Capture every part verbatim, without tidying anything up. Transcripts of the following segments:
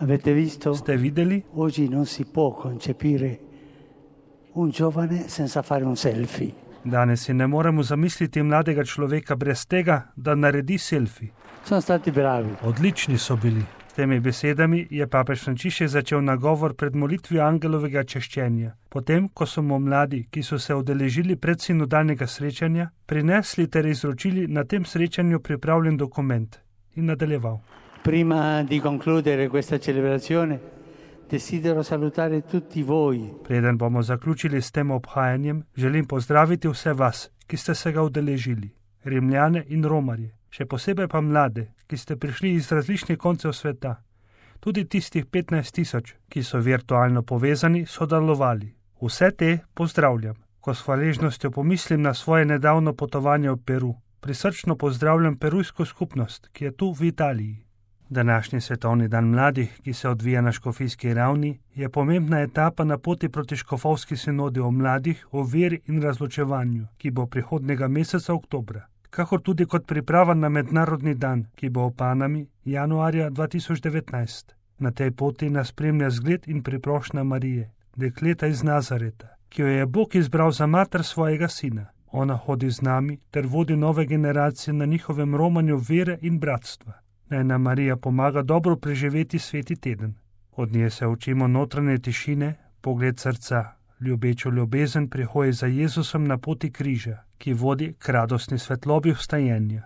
Avete visto? Ste videli? Oggi non si può concepire un giovane senza fare un selfie. Danes si ne moremo zamisliti mladega človeka brez tega, da naredi selfie. Sono stati bravi. Odlični so bili. S temi besedami je papež Frančišek začel nagovor pred molitvijo angelovega češčenja. Potem, ko so mu mladi, ki so se udeležili predsinodalnega srečanja, prinesli ter izročili na tem srečanju pripravljen dokument in nadaljeval. Prima di concludere questa celebrazione, desidero salutare tutti voi. Preden bomo zaključili s tem obhajanjem, želim pozdraviti vse vas, ki ste se ga udeležili, Rimljane in Romarje, še posebej pa mlade, ki ste prišli iz različnih koncev sveta. Tudi tistih petnajst tisoč, ki so virtualno povezani, sodelovali. Vse te pozdravljam. Ko s hvaležnostjo pomislim na svoje nedavno potovanje v Peru, prisrčno pozdravljam perujsko skupnost, ki je tu v Italiji. Današnji svetovni dan mladih, ki se odvija na škofijski ravni, je pomembna etapa na poti proti škofovski sinodi o mladih, o veri in razločevanju, ki bo prihodnega meseca oktobra, kakor tudi kot priprava na mednarodni dan, ki bo v Panami januarja dva tisoč devetnajst. Na tej poti nas spremlja zgled in priprošnja Marije, dekleta iz Nazareta, ki jo je Bog izbral za mater svojega sina. Ona hodi z nami ter vodi nove generacije na njihovem romanju vere in bratstva. Naj nam Marija pomaga dobro preživeti sveti teden. Od nje se učimo notranje tišine, pogled srca, ljubečo ljubezen pri hoji za Jezusom na poti križa, ki vodi k radostni svetlobi vstajenja.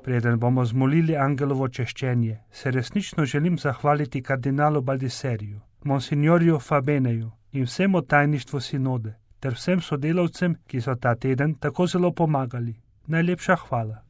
Preden bomo zmolili angelovo češčenje, se resnično želim zahvaliti kardinalu Baldiseriju, monsignorju Fabeneju in vsemu tajništvu sinode, ter vsem sodelavcem, ki so ta teden tako zelo pomagali. Najlepša hvala.